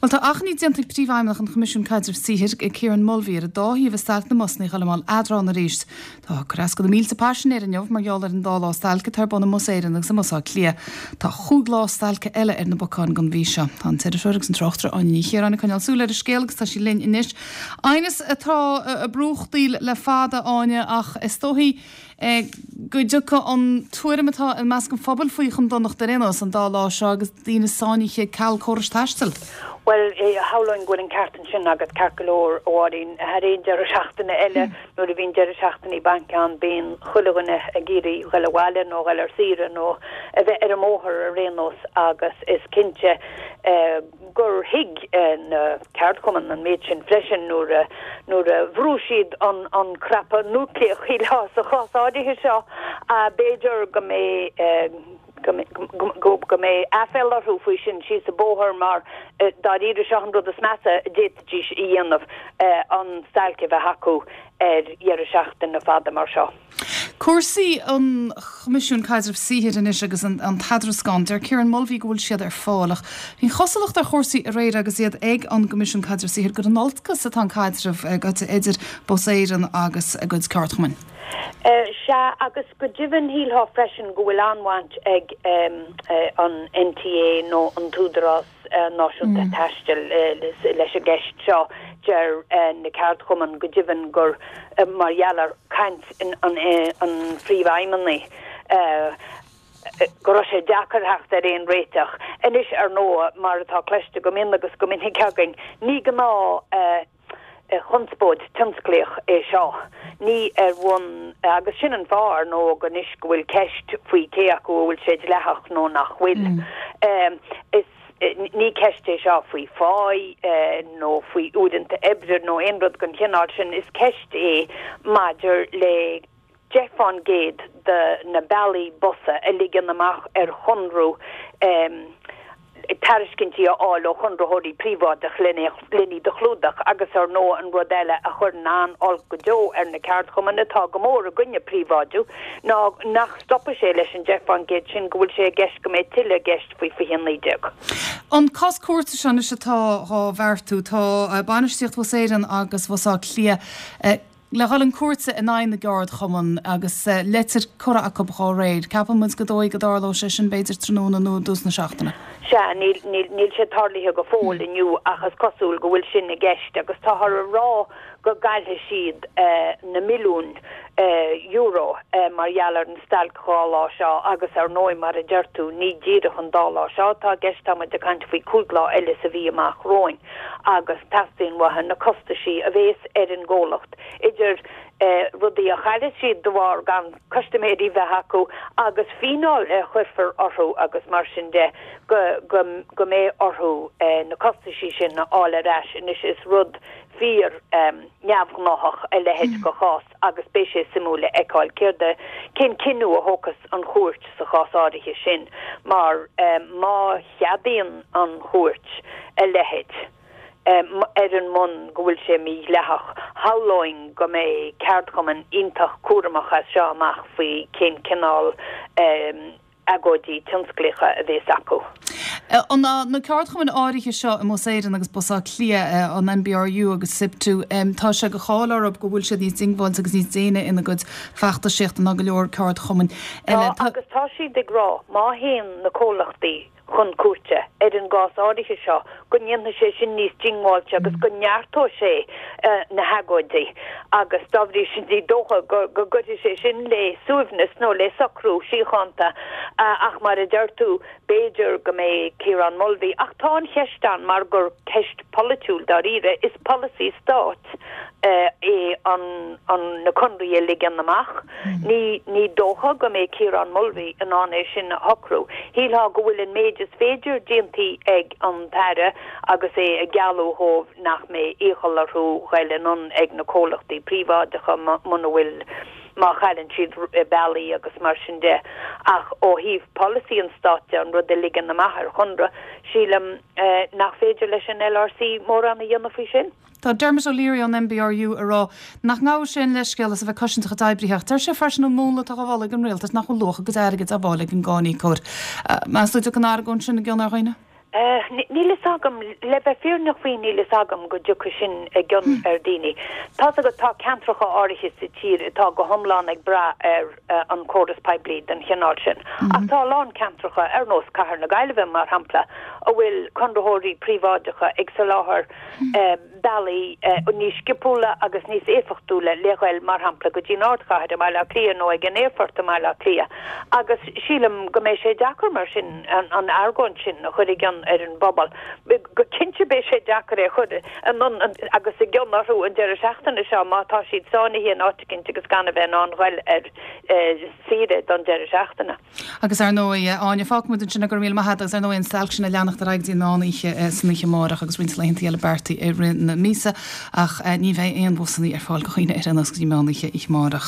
Bhuel, tá achainí déanta ag Príomhfheidhmeannach an Choimisiúin Caidrimh Saothair, Kieran Mulvey, ar an dá thaobh i stailc na mbusanna a dhul i mbun eadrána arís. Tá cur as do na mílte paisinéir inniu mar gheall ar an dá lá stailce atá ar bun i mBus Éireann agus i mBus Átha Cliath. Tá chúig lá stailce eile ar na bacáin don mhí seo. Tá an t-iriseoir agus an tráchtaire Áine Ní Chiaráin ag coinneáil súil ar an scéal agus tá sí linn anois. Aighneas atá ag brúchtaíl le fada, Áine, ach is dóichí go dtiocfaidh an tuairim atá i measc an phobail faoi chun donachta ar aon nós an dá lá seo agus daoine sáinnithe ceal córais taistil. Bhuel, shamhlóinn go bhfuil an ceart ansin agat, ceart go leor, a Mháirín. Thar aon deireadh seachtaine eile, nuair a bhíonn deireadh seachtainí bainc ann, bíonn chuile dhuine ag iarraidh dhul abhaile nó dhul ar saoire nó a bheith ar an mbóthar ar aon nós agus is cinnte gur thuig na ceardchumainn an méid sin freisin nuair a nuair a bhrúigh siad an an cnaipe núicléach shílfeá sa chás áirithe seo. B'fhéidir go mbeidh go go mbeidh aiféala orthu faoi sin síos an bóthar mar dáiríre seo an rud is measa a d'fhéadfaidís a dhéanamh an stailc a bheith acu ar dheireadh seachtaine fada mar seo. Cúrsaí an Choimisiúin Caidrimh Saothair anois agus an t-eadrascán. Deir Kieran Mulvey go bhfuil siad ar fáil ach bhí an chosúlacht ar chúrsaí aréir agus iad ag an gCoimisiún Caidrimh Saothair gur in olcas atá an caidreamh gaite idir Bus Éireann agus a gcuid ceardchumainn. Sea, agus go deimhin shílfeá freisin go bhfuil an-bhaint ag an NTA nó an tÚdarás Náisiúnta Taistil leis an gceist seo. Deir na ceardchumainn go deimhin gur mar gheall ar chaint an phríomhfheidhmeannaigh go raibh sé deacair theacht ar aon réiteach. Anois, ar ndóigh, mar atá cloiste go mion agus go minic againn, ní gnáth chonspóid tionsclaíoch é seo. Ní ar bhonn, agus sin an fáth, ar ndóigh, anois go bhfuil ceist faoi cé acu a bhfuil sé dleathach nó nach bhfuil. Is, ní ceist é seo faoi pháí nó faoi uaireanta oibre nó aon rud den chineál sin, is ceist é maidir le 10% de na bealaí busa a ligean amach ar chonradh tairiscintí a fháil ó chonraitheoirí príobháideach len iad a chlúdach agus ar ndóigh an rud eile a chuireann an-olc go deo ar na ceardchumainn atá go mór i gcoinne príobháidiú ná nach stopfaidh sé leis an 10% sin go bhfuil sé i gceist go mbeidh tuilleadh i gceist faoi 2019. An cás cúirte seo anois atá dhá bheartú, tá bainistíocht Bhus Éireann agus Bhus Átha Cliath le dhul chun cúirte in aghaidh na gceardchumann agus leitir curtha acu dhá réir. Ceapann muid gur dóigh go dtarlóidh sé sin b'fhéidir tráthnóna nó i dtús na seachtaine. Sea, níl, níl, níl sé tarlaithe go fóill inniu ach is cosúil go bhfuil sin i gceist agus táthar a rá go gcaillfidh siad na milliúin euro mar gheall ar an stailc dhá lá seo agus ar ndóigh mar a deir tú ní díreach an dá lá seo atá i gceist, tá muid ag caint faoi chúig lá eile sa mhí amach romhainn. agus teastaíonn uathu na costaisí a bhéas ar an gcomhlacht, idir rudaí a chaillfidh siad de bharr gan custaiméirí bheith acu agus fíneáil a chuirfear orthu agus mar sin de, go go go mbeidh orthu na costaisí sin a fháil ar ais. Anois is rud fíor neamhghnáthach a leithéid de chás agus beidh sé suimiúil a fheiceáil céard a, cén cinneadh a thógfas an chúirt sa chás áirithe sin mar má cheadaíonn an chúirt a leithéid, ar an mbonn go bhfuil sé mídhleathach, shamhlóinn go mbeidh ceardchumainn iontach cúramach as seo amach faoi cén cineál agóidí tionsclaíocha a bhéas acu. Na ceardchumainn áirithe seo i mBus Éireann agus Bus Átha Cliath, an NBRU agus SIPTU, tá sé de cháil orthu go bhfuil siad níos diongbháilte agus níos déine ina gcuid feachtasaíochta ná go leor ceardchumainn eile. Tá, agus tá siad ag rá má théann na comhlachtaí chun cúirte ar an gcás áirithe seo, go ndéanfaidh sé sin níos diongbháilte agus go neartóidh sé na hagóidí agus dá bhrí sin ní dócha go gcuirfidh sé sin le suaimhneas nó le socrú síochánta ach mar a deir tú, b'fhéidir go mbeidh Ciarán Mulvey ach tá an cheist ann mar gur ceist pholaitiúil dáiríre, is polasaí stáit é an na conraí a ligean amach. Ní ní dócha go mbeidh Ciarán Mulvey in ann é sin a shocrú. Shílfeá go bhfuil an méid is féidir déantaí ag an tAire agus é ag gealladh dhóibh nach mbeidh iachall orthu ghoil anonn ag na comhlachtaí príobháideacha muna bhfuil má chailleann siad bealaí agus mar sin de. Ach ó thaobh polasaí an stáit de, an rud a ligean amach ar chonradh, sílim nach féidir leis an LRC mórán a dhéanamh faoi sin. Tá Dermot O'Leary ón NBRU ag rá nach ngabhfaidh sé aon leithscéal as a bheith ag cosaint a chuid oibrithe ach deir sé freisin an múnla atá á mholadh ag an rialtas nach bhfuil luach a gcuid airgid á bhfáil ag an gcáiníocóir. Meas tú an dtiocfaidh an argóint sin i gcion ar dhaoine? Níl fhios agam, le bheith fírinneach faoi níl fhios agam go dtiocfaidh sin i gcion ar daoine. Tá's agat tá ceantracha áirithe sa tír atá go hiomlán ag brath ar an córas poiblí den chineál sin. Ach tá a lán ceantracha, ar nós Cathair na Gaillimhe mar shampla, a bhfuil conraitheoirí príobháideacha ag soláthar bealaí níos sciopúla agus níos éifeachtúla le ghoil, mar shampla, go dtí an ardchathair i mBaile Átha Cliath nó ag an aerfort i mBaile Átha Cliath. Agus sílim go mbeidh sé deacair mar sin an argóint sin a chur i gcion ar an bpobal. Go cinnte beidh sé deacair é a chur anonn agus i gcion orthu an deireadh seachtaine seo má tá siad sáinnithe in áit eicínt agus gan a bheith in ann ghoil ar saoire don deireadh seachtaine. Agus ar ndóigh, Áine, fágfaidh muid ansin é, go raibh míle maith agat, agus ar ndóigh an stailc sin ag leanacht ar aghaidh go dtí an meán oíche san oíche amárach agus roinnt laethanta eile beartaithe i rith na míosa ach ní bheidh aon bhusanna ar fáil do dhaoine ar aon nós go dtí meán oíche oíche amárach.